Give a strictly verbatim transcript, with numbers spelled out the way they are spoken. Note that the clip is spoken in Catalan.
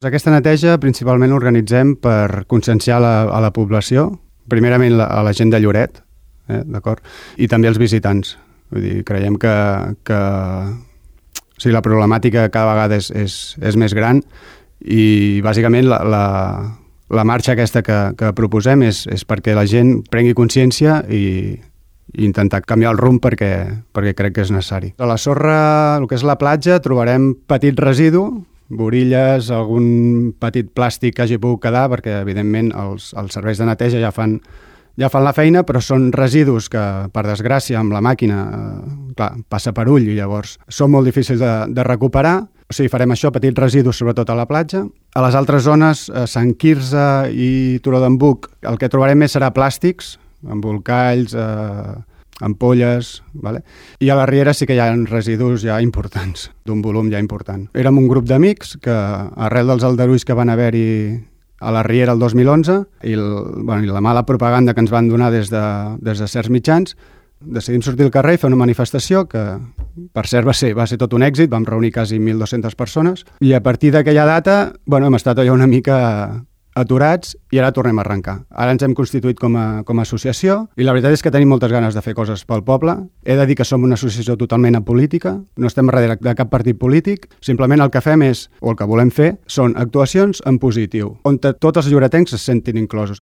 Aquesta neteja principalment l'organitzem per conscienciar la, a la població, primerament la, a la gent de Lloret, eh, d'acord? I també els visitants. Vull dir, creiem que, que o sigui, la problemàtica cada vegada és, és, és més gran i bàsicament la, la, la marxa aquesta que, que proposem és, és perquè la gent prengui consciència i, i intentar canviar el rumb perquè, perquè crec que és necessari. A la sorra, el que és la platja, trobarem petit residu, borilles, algun petit plàstic que hagi pogut quedar, perquè evidentment els, els serveis de neteja ja fan, ja fan la feina, però són residus que, per desgràcia, amb la màquina, eh, clar, passa per ull i llavors són molt difícils de, de recuperar. O sigui, farem això, petits residus, sobretot a la platja. A les altres zones, a Sant Quirze i Turó d'en Buc, el que trobarem més serà plàstics, embolcalls, eh, ampolles, vale? I a la Riera sí que hi ha residus ja importants, d'un volum ja important. Érem un grup d'amics que, arrel dels aldarulls que van haver-hi a la Riera el dos mil onze i, el, bueno, i la mala propaganda que ens van donar des de, des de certs mitjans, decidim sortir al carrer i fer una manifestació que, per cert, va ser, va ser tot un èxit, vam reunir quasi mil dues-centes persones i a partir d'aquella data bueno, hem estat allà una mica aturats i ara tornem a arrencar. Ara ens hem constituït com a, com a associació i la veritat és que tenim moltes ganes de fer coses pel poble. He de dir que som una associació totalment apolítica, no estem darrere de cap partit polític, simplement el que fem és, o el que volem fer, són actuacions en positiu, on tots els lloretencs es sentin inclosos.